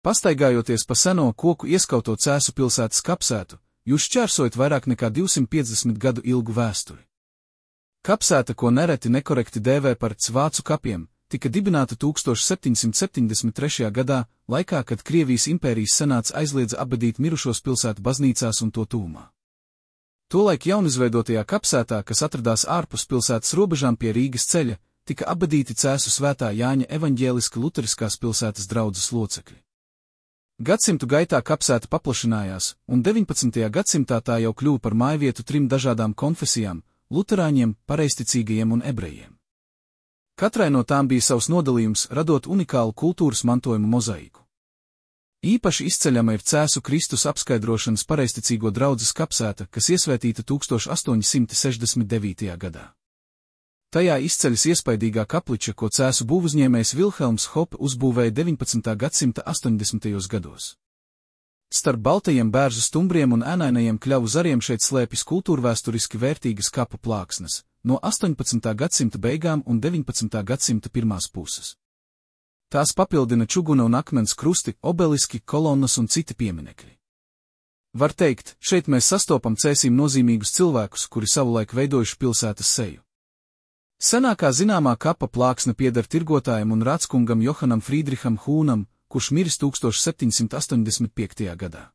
Pastaigājoties pa seno koku ieskauto Cēsu pilsētas kapsētu, jūs šķērsojat vairāk nekā 250 gadu ilgu vēsturi. Kapsēta, ko nereti nekorekti dēvē par vācu kapiem, tika dibināta 1773. gadā, laikā, kad Krievijas impērijas senāts aizliedza apbedīt mirušos pilsētu baznīcās un to tūmā. Tolaik jaunizveidotajā kapsētā, kas atradās ārpus pilsētas robežām pie Rīgas ceļa, tika apbedīti Cēsu svētā Jāņa evaņģēliska luteriskās pilsētas draudzes locekļi. Gadsimtu gaitā kapsēta paplašinājās, un 19. gadsimtā tā jau kļuva par mājvietu 3 dažādām konfesijām – luterāņiem, pareizticīgajiem un ebrejiem. Katrai no tām bija savs nodalījums, radot unikālu kultūras mantojumu mozaiku. Īpaši izceļama ir Cēsu Kristus apskaidrošanas pareizticīgo draudzes kapsēta, kas iesvētīta 1869. gadā. Tajā izceļas iespaidīgā kapliča, ko Cēsu būvuzņēmējs Vilhelms Hope uzbūvēja 19. gadsimta 80. gados. Starp baltajiem bērzu stumbriem un ēnainajiem kļavu zariem šeit slēpjas kultūrvēsturiski vērtīgas kapu plāksnes, no 18. gadsimta beigām un 19. gadsimta pirmās puses. Tās papildina čuguna un akmens krusti, obeliski, kolonnas un citi pieminekļi. Var teikt, šeit mēs sastopam Cēsīm nozīmīgus cilvēkus, kuri savulaik veidojuši pilsētas seju. Senākā zināmā kapa plāksne pieder tirgotājam un rāckungam Johanam Friedriham Hūnam, kurš miris 1785. gadā.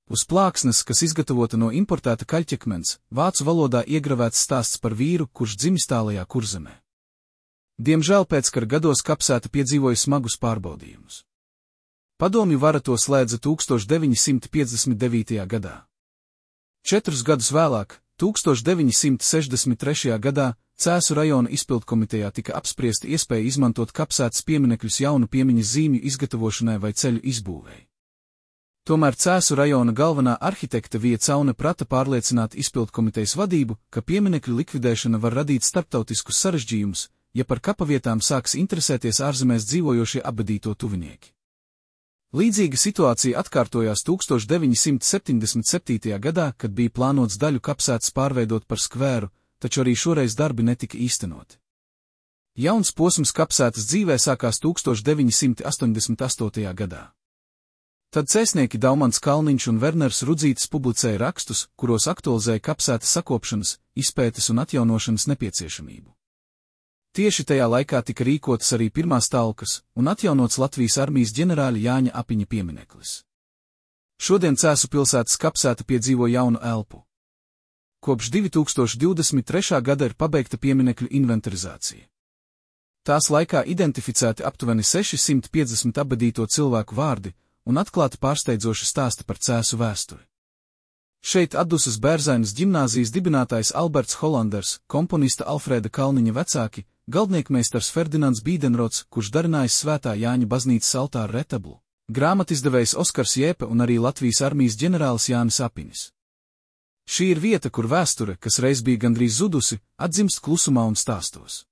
Uz plāksnes, kas izgatavota no importēta kaļķakmens, vācu valodā iegravēts stāsts par vīru, kurš dzimis tālajā Kurzemē. Diemžēl pēckara gados kapsēta piedzīvoja smagus pārbaudījumus. Padomju vara to slēdza 1959. gadā. 4 gadus vēlāk, 1963. gadā, Cēsu rajona izpildkomitejā tika apspriesta iespēja izmantot kapsētas pieminekļus jaunu piemiņas zīmju izgatavošanai vai ceļu izbūvēi. Tomēr Cēsu rajona galvenā arhitekte Vija Caune prata pārliecināt izpildkomitejas vadību, ka pieminekļu likvidēšana var radīt starptautiskus sarežģījumus, ja par kapavietām sāks interesēties ārzemēs dzīvojošie apbedīto tuvinieki. Līdzīga situācija atkārtojās 1977. gadā, kad bija plānots daļu kapsētas pārveidot par skvēru, taču arī šoreiz darbi netika īstenoti. Jauns posms kapsētas dzīvē sākās 1988. gadā. Tad cēsnieki Daumans Kalniņš un Werners Rudzītis publicēja rakstus, kuros aktualizēja kapsētas sakopšanas, izpētes un atjaunošanas nepieciešamību. Tieši tajā laikā tika rīkotas arī pirmās talkas un atjaunots Latvijas armijas ģenerāļa Jāņa Apiņa piemineklis. Šodien Cēsu pilsētas kapsēta piedzīvo jaunu elpu. Kopš 2023. gada ir pabeigta pieminekļu inventarizācija. Tās laikā identificēti aptuveni 650 apbedīto cilvēku vārdi un atklāti pārsteidzoši stāsti par Cēsu vēsturi. Šeit atdusas Bērzainas ģimnāzijas dibinātājs Alberts Holanders, komponista Alfrēda Kalniņa vecāki, galdniekmeistars Ferdinands Bīdenrots, kurš darinājis Svētā Jāņa baznīcas altāra retablu, grāmatizdevējs Oskars Jēpe un arī Latvijas armijas ģenerālis Jānis Apiņš. Šī ir vieta, kur vēsture, kas reiz bija gandrīz zudusi, atzimst klusumā un stāstos.